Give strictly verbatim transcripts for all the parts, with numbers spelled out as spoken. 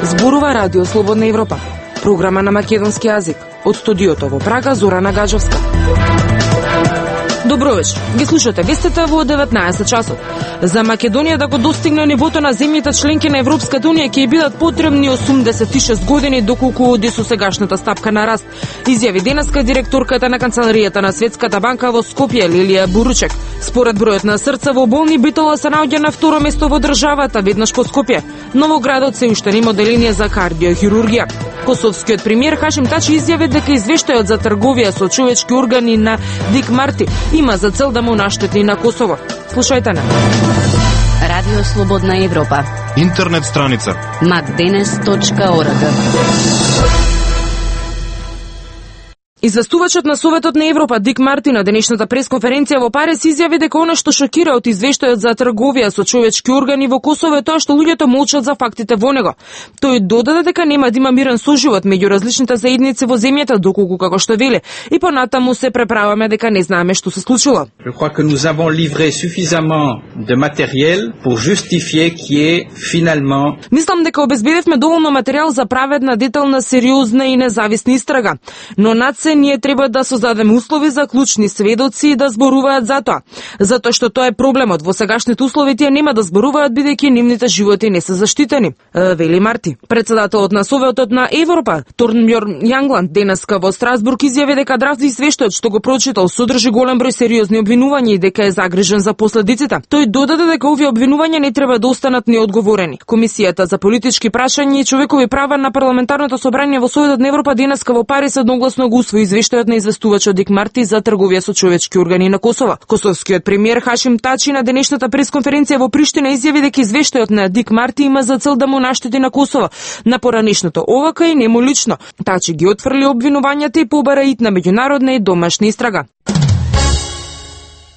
Зборува Радио Слободна Европа, програма на македонски јазик. Од студиото во Прага, Зорана Гаджовска. Добро вечер. Ги слушате вестите во деветнаесет часот. За Македонија да го достигне нивото на земјите членки на Европската унија ќе бидат потребни осумдесет и шест години доколку оди со сегашната стапка на раст. Изјави денеска директорката на канцеларијата на Светската банка во Скопје Лилија Буручек. Според бројот на срца во болни Битола се наоѓа на второ место во државата, веднаш по Скопје. Новоградот се уште нема оделение за кардиохирургија. Косовскиот премиер Хашим Тачи изјави дека извештајот за трговија со човечки органи на Дик Марти има за цел да му наштети на Косово. Слушајте на Радио Слободна Европа. Интернет страница макденес точка орг. Известувачот на Советот на Европа Дик Марти на денешната пресконференција во Париз изјави дека она што шокира од извештајот за трговија со човечки органи во Косово е тоа што луѓето молчат за фактите во него. Тој додаде дека нема да има мирен соживот меѓу различните заедници во земјата, доколку како што вели, и понатаму се преправаме дека не знаеме што се случило. Je crois que nous avons livré suffisamment de matériel pour justifier qu'il y ait finalement. Мислам дека обезбедивме доволно материјал за праведна, детална, сериозна и независна истрага, но над се ние треба да создадеме услови за клучни сведоци да зборуваат за тоа. Затоа што тоа е проблемот. Во сегашните услови тие нема да зборуваат бидејќи нивните животи не се заштитени, вели Марти. Председателот на Советот на Европа Торнбјорн Јангланд денеска во Страсбург изјави дека драфт извештајот што го прочитал содржи голем број сериозни обвинувања и дека е загрижен за последиците. Тој додаде дека овие обвинувања не треба да останат неодговорени. Комисијата за политички прашања и човекови права на парламентарното собрание во Советот на Европа денеска во Париз едногласно го усвои извештајот на известувачот Дик Марти за трговија со човечки органи на Косово. Косовскиот премиер Хашим Тачи на денешната пресконференција во Приштина изјави дека извештајот на Дик Марти има за цел да му наштети на Косово. На поранешното овака и нему лично. Тачи ги отфрли обвинувањата и побара ит на меѓународна и домашна истрага.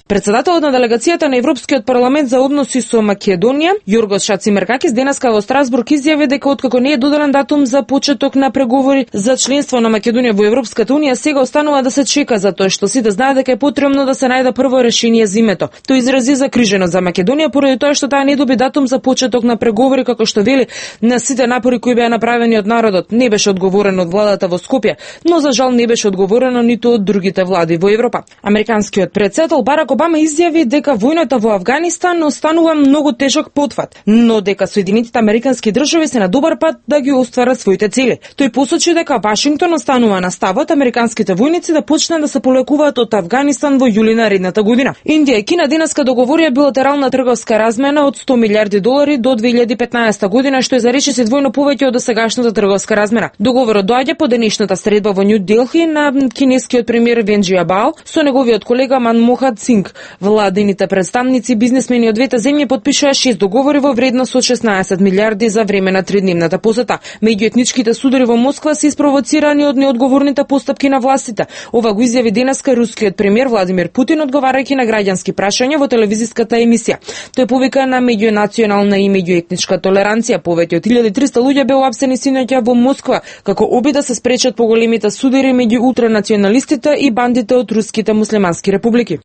Председателот на делегацијата на Европскиот парламент за односи со Македонија, Јоргос Шацимеркакис, денеска во Страсбург изјави дека откако не е доделен датум за почеток на преговори за членство на Македонија во Европската унија, сега останува да се чека за тоа што сите знаат дека е потребно да се најде прво решение за името. Тој изрази загриженост за Македонија поради тоа што таа не доби датум за почеток на преговори, како што вели, на сите напори кои беа направени од народот. Не беше одговорено од владата во Скопје, но за жал не беше одговорено ниту од другите влади во Европа. Американскиот претседател Барак Обама изјави дека војната во Авганистан останува многу тежок потфат, но дека Соединетите американски држави се на добар пат да ги остварат своите цели. Тој посочи дека Вашингтон останува на ставот американските војници да почнат да се полекуваат од Авганистан во јули наредната година. Индија и Кина денеска договорија билатерална трговска размена од сто милиарди долари до две илјади и петнаесета година, што е за речиси двојно повеќе од досегашната трговска размена. Договорот доаѓа по денешната средба во Њу Делхи на кинескиот премиер Вен Џиабао со неговиот колега Манмохат Синг. Владините представници, бизнесмени од двете земји потпишаа шест договори во вредност од шеснаесет милиарди за време на тридневната посета. Меѓуетничките судари во Москва се испровоцирани од неодговорните постапки на властите. Ова го изјави денеска рускиот премиер Владимир Путин одговарајќи на граѓански прашања во телевизиската емисија. Тој повика на меѓунационална и меѓуетничка толеранција. Повеќе од илјада и триста луѓе беа уапсени синоќа во Москва како обид да се спречат поголемите судари меѓу ултранационалистите и бандите од руските муслимански републики.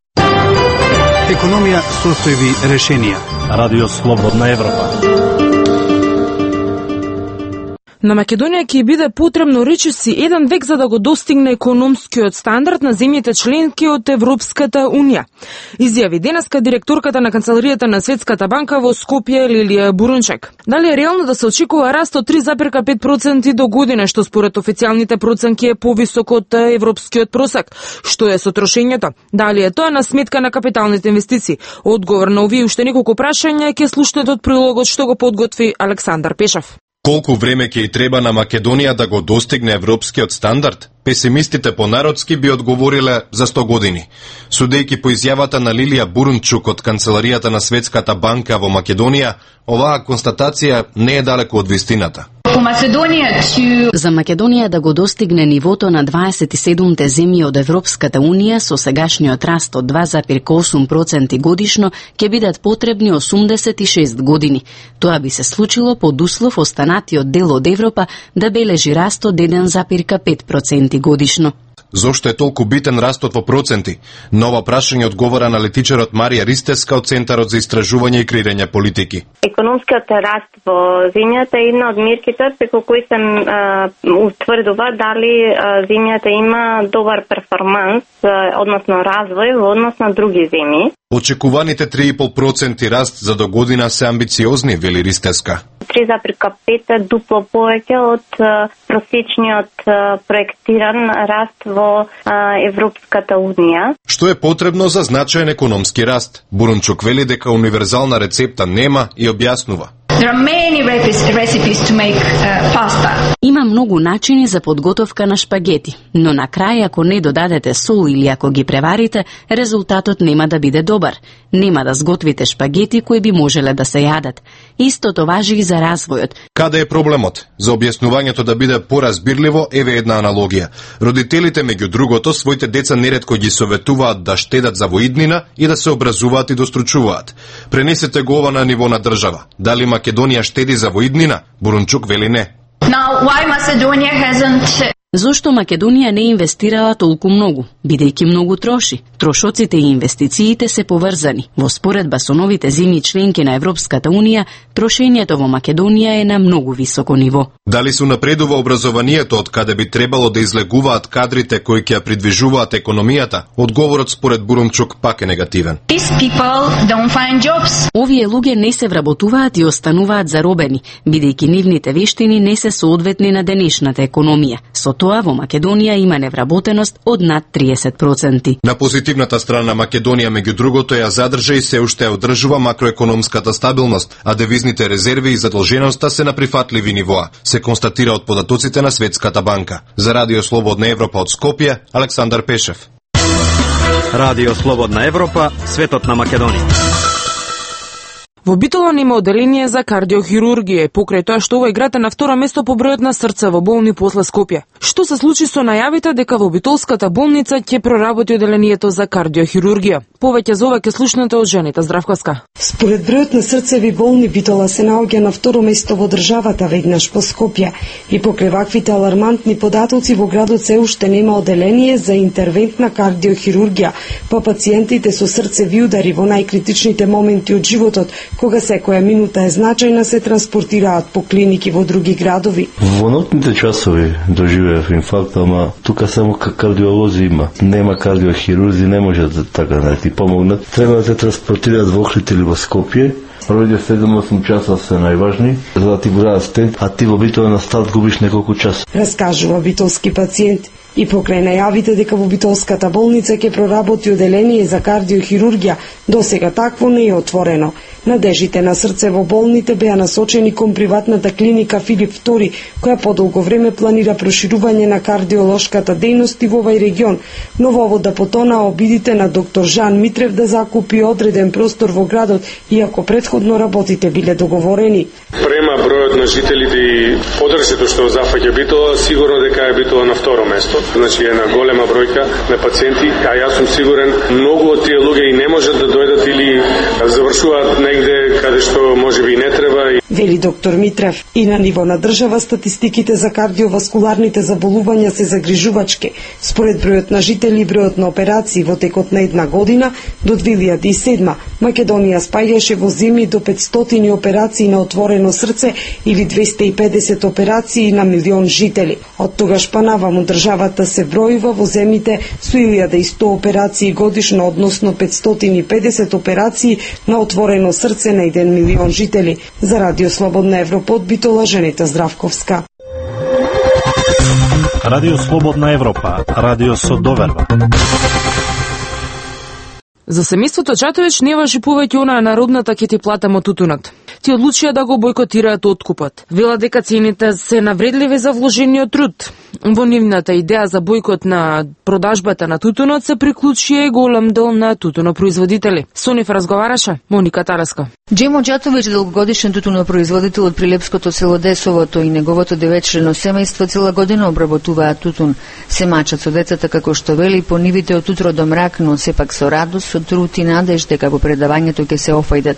Економија, состојби, решенија. Радио Слободна Европа. На Македонија ќе биде потребно речиси еден век за да го достигне економскиот стандард на земјите членки од Европската унија. Изјави денеска директорката на канцеларијата на Светската банка во Скопје Лилија Бурунчек. Дали е реално да се очекува раст од три зарез пет проценти до година, што според официјалните проценки е повисок од европскиот просек? Што е со трошењето? Дали е тоа на сметка на капиталните инвестиции? Одговор на овие уште неколку прашања ќе слушнете од прилогот што го подготви Александар Пешев. Колку време ќе и треба на Македонија да го достигне европскиот стандард? Песимистите понародски би одговориле за сто години. Судејќи по изјавата на Лилија Бурунчук од канцеларијата на Светската банка во Македонија, оваа констатација не е далеку од вистината. За Македонија да го достигне нивото на дваесет и седумте земји од Европската унија со сегашниот раст од два зарез осум проценти годишно ќе бидат потребни осумдесет и шест години. Тоа би се случило под услов останатиот дел од Европа да бележи раст од еден зарез пет проценти годишно. Зошто е толку битен растот во проценти? Нова прашање одговора на летичарот Марија Ристеска од Центарот за истражување и креирање политики. Економскиот раст во земјата е една од мерките преку кои се утврдува дали земјата има добар перформанс, односно развој во однос на други земји. Очекуваните три и пол проценти раст за до година се амбициозни, вели Ристеска. три запирка пет е дупло повеќе од просечниот проектиран раст во Европската Унија. Што е потребно за значаен економски раст? Бурунчук вели дека универзална рецепта нема и објаснува. There are many recipes to make uh, pasta. Има многу начини за подготовка на шпагети, но на крај ако не додадете сол или ако ги преварите, резултатот нема да биде добар. Нема да сготвите шпагети кои би можеле да се јадат. Истото важи и за развојот. Каде е проблемот? За објаснувањето да биде поразбирливо, еве една аналогија. Родителите меѓу другото своите деца неретко ги советуваат да штедат за воиднина и да се образуваат и достручуваат. Пренесете го ова на ниво на држава. Дали Македонија штеди за воиднина? Бурунчук вели не. Now, why Macedonia hasn't... Зошто Македонија не инвестирала толку многу, бидејќи многу троши? Трошоците и инвестициите се поврзани. Во споредба со новите земји членки на Европската Унија, трошењето во Македонија е на многу високо ниво. Дали се напредува образованието од каде би требало да излегуваат кадрите кои ќе ја придвижуваат економијата? Одговорот според Бурунчук пак е негативен. These people don't find jobs. Овие луѓе не се вработуваат и остануваат заробени, бидејќи нивните вештини не се соодветни на денешната економија. Со тоа во Македонија има невработеност од над триесет проценти. На позитивната страна Македонија меѓу другото ја задржа и се уште одржува макроекономската стабилност, а девизните резерви и задолженоста се на прифатливи нивоа, се констатира од податоците на Светската банка. За Радио Слободна Европа од Скопје, Александар Пешев. Радио Слободна Европа, светот на Македонија. Во Битола нема оделение за кардиохирургија, покрај тоа што овој град е на второ место по бројот на срцево болни после Скопје. Што се случи со најавите дека во Битолската болница ќе проработи оделението за кардиохирургија? Повеќе за ова ќе слушнете од Жените Здравковска. Според бројот на срцеви болни, Битола се наоѓа на второ место во државата, веднаш по Скопје. И покрај ваквите алармантни податоци во градот се уште нема оделение за интервентна кардиохирургија, по пациентите со срцеви удари во најкритичните моменти од животот, кога секоја минута е значајна, се транспортираат по клиники во други градови. Во ноќните часови доживеав инфаркт, ама тука само кардиолози има. Нема кардиохирурзи, не може да така да ти помогнат. Треба да те транспортираат во Охрид или во Скопје. Првите седум-осум часа се најважни, за да ти го дадат стент, а ти во Битола на старт губиш неколку часа. Раскажува битолски пациент. И покрај најавите дека во Битолската болница ќе проработи оделение за кардиохирургија, досега такво не е отворено. Надежите на срце во болните беа насочени кон приватната клиника Филип втори, која подолго време планира проширување на кардиолошката дејност во овој регион, но во ово да потона обидите на доктор Жан Митрев да закупи одреден простор во градот, иако предходно работите биле договорени. Према бројот на жителите и подршето што зафаќа Битола, сигурно дека е Битола на второ место. Значи една голема бројка на пациенти, а јас сум сигурен многу од тие луѓе и не можат да дојдат или завршуваат негде каде што можеби и не треба. Вели доктор Митрев. И на ниво на држава статистиките за кардиоваскуларните заболувања се загрижувачки. Според бројот на жители и бројот на операции во текот на една година до две илјади и седма Македонија спаѓаше во земји до петстотини операции на отворено срце или двесте и педесет операции на милион жители. Од тогаш па наваму државата се бројува во земјите со илјада и сто операции годишно, односно петстотини и педесет операции на отворено срце на еден милион жители. За Радио Слободна Европа од Битола, Женета Здравковска. Радио Слободна Европа, радио со доверба. За семејството Чатович не важи повеќе онаа народната ќе ти платам тутунот. Ти одлучија да го бойкотираат откупот. Вела дека цените се навредливи за вложениот труд. Во нивната идеја за бойкот на продажбата на тутунот се приклучија и голем дел на тутунопроизводители. Со нив разговараше Моника Тараска. Джемо Џатович, долгогодишен тутунопроизводител од прилепското село Десовото и неговото деветчлено семејство цела година обработуваат тутун. Се мачат со децата како што вели по нивите од утро до мрак, но сепак со радост, со труд и надеж дека по предавањето ќе се офајдат.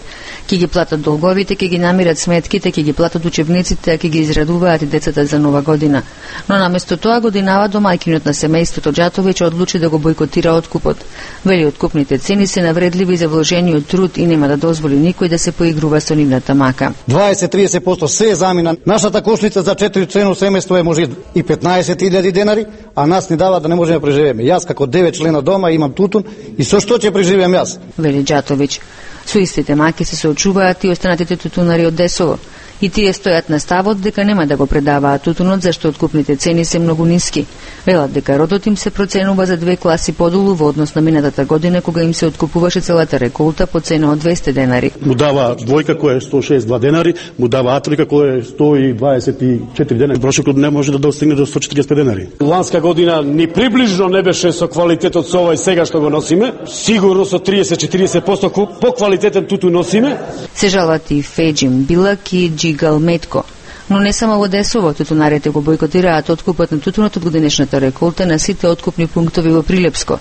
Ќе ги платат долговите родителите ќе ги намират сметките, ќе ги платат учебниците, а ќе ги израдуваат и децата за нова година. Но наместо тоа годинава домаќинот на семејството Џатовиќ одлучи да го бойкотира откупот. Вели откупните цени се навредливи за вложениот труд и нема да дозволи никој да се поигрува со нивната мака. дваесет до триесет проценти се замина. Нашата кошница за четири члено семејство е може и петнаесет илјади денари, а нас ни дава да не можеме да преживееме. Јас како девет члена дома имам тутун и со што ќе преживеам јас? Вели Џатовиќ. Со истите маки се соочуваат и останатите тутунари од Десово. И тие стојат на ставот дека нема да го предаваат тутунот зашто откупните цени се многу ниски. Велат дека родот им се проценува за две класи подолу во однос на минатата година кога им се откупуваше целата реколта по цена од двесте денари. Му дава двојка која е сто и шест денари, му дава атрика која е сто и дваесет и четири денари. Брошокот не може да достигне до сто и четириесет денари. Ланска година ни приближно не беше со квалитетот со овој сега што го носиме. Сигурно со триесет до четириесет проценти по квалитетен тутун носиме. Се жалат и Феџим Билак и Галметко. Но не само во Десово, тутунарите го бойкотираат откупот на тутунот од годинешната реколта на сите откупни пунктови во Прилепско.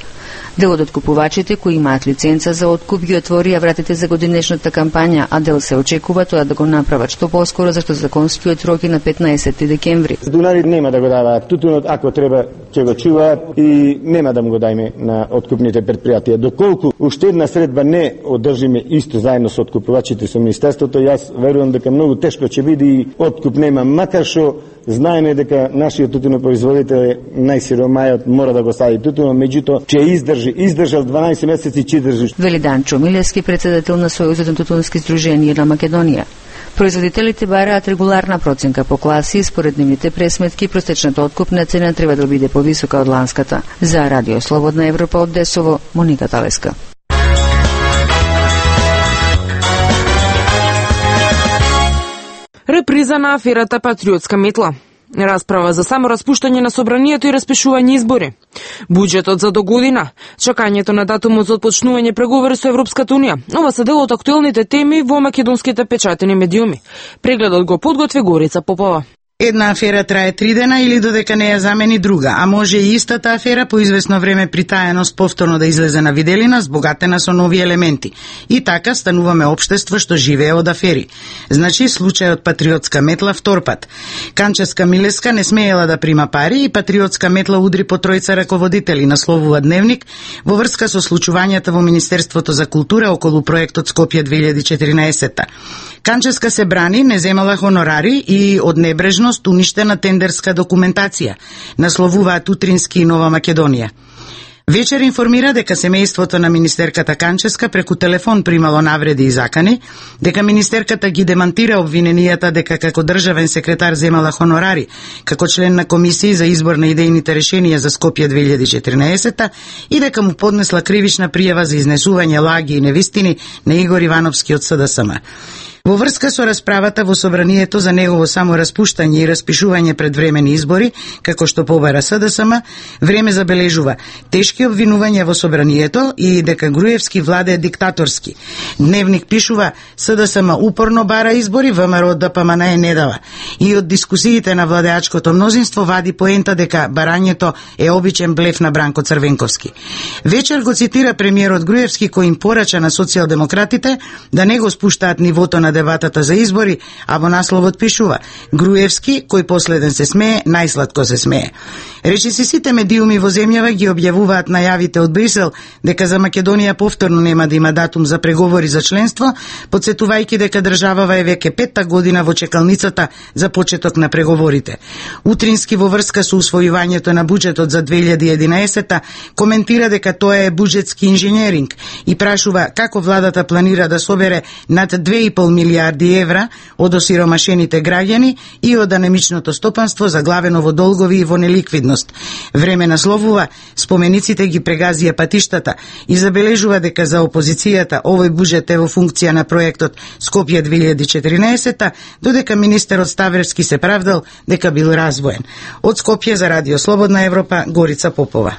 Дел од откупувачите кои имаат лиценца за откуп ги отворија вратите за годинешната кампања, а дел се очекува тоа да го направат што поскоро зашто законскиот рок е на петнаесети декември. Тутунарите нема да го даваат тутунот, ако треба ќе го чуваат и нема да му го дајме на откупните предпријатија. Доколку уште една средба не одржиме исто заедно со откупувачите со министерството, јас верувам дека многу тешко ќе биде и откуп нема, макар што знаеме дека нашиот тутунопроизводител е најсиромајот, мора да го стави тутунот, меѓутоа ќе издржи, издржал дванаесет месеци, ќе издржи. Вели Данчо Милевски, председател на Сојузот на тутунски здруженија на Македонија. Производителите бараат регуларна проценка по класи и според нивните пресметки просечната откупна цена треба да биде повисока од ланската. За Радио Слободна Европа од Десово, Моника Талеска. Реприза на аферата Патриотска метла. Расправа за само распуштање на собранието и распишување избори. Буџетот за до година. Чакањето на датумот за отпочнување преговори со Европската унија. Ова се дел од актуелните теми во македонските печатени медиуми. Прегледот го подготви Горица Попова. Една афера трае три дена или додека не ја замени друга, а може и истата афера по известно време притаеност повторно да излезе на виделина, збогатена со нови елементи. И така стануваме општество што живее од афери. Значи, случајот Патриотска метла втор пат. Канческа Милеска не смеела да прима пари и Патриотска метла удри по тројца раководители, насловува Дневник, во врска со случувањата во Министерството за култура околу проектот Скопје две илјади и четиринаесета. Канческа се брани, не земала хонорари и од небрежност уништена тендерска документација, насловуваат Утрински и Нова Македонија. Вечер информира дека семејството на министерката Канческа преку телефон примало навреди и закани, дека министерката ги демантира обвиненијата дека како државен секретар земала хонорари, како член на комисија за избор на идејните решенија за Скопје две илјади и четиринаесета и дека му поднесла кривична пријава за изнесување лаги и невистини на Игор Ивановски од С Д С М. Во врска со расправата во собранието за негово само распуштање и распишување предвремени избори, како што побара С Д С М, време забележува тешки обвинувања во собранието и дека Груевски владее диктаторски. Дневник пишува С Д С М упорно бара избори, В М Р Д П М Н не дава. И од дискусиите на владеачкото мнозинство вади поента дека барањето е обичен блеф на Бранко Црвенковски. Вечер го цитира премиерот Груевски кој им порача на социјалдемократите да не го спуштаат нивото на дебатата за избори, а во насловот пишува Груевски, кој последен се смее, најсладко се смее. Речиси сите медиуми во земјава ги објавуваат најавите од Брисел дека за Македонија повторно нема да има датум за преговори за членство, подсетувајќи дека државава е веќе петта година во чекалницата за почеток на преговорите. Утрински во врска со усвојувањето на буџетот за две илјади и единаесета коментира дека тоа е буџетски инженеринг и прашува како владата планира да собере над две и пол милијарди евра од осиромашените граѓани и од анемичното стопанство заглавено во долгови и во неликвидност. Време насловува спомениците ги прегазија патиштата и забележува дека за опозицијата овој буџет е во функција на проектот Скопје две илјади и четиринаесета, додека министерот Ставревски се правдал дека бил развоен. Од Скопје за Радио Слободна Европа, Горица Попова.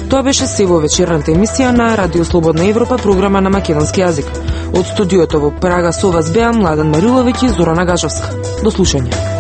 Тоа беше се во вечерната емисија на Радио Слободна Европа, програма на македонски јазик. Од студиото во Прага со вас беа Младен Мариловиќ и Зорана Гажовска. До слушање.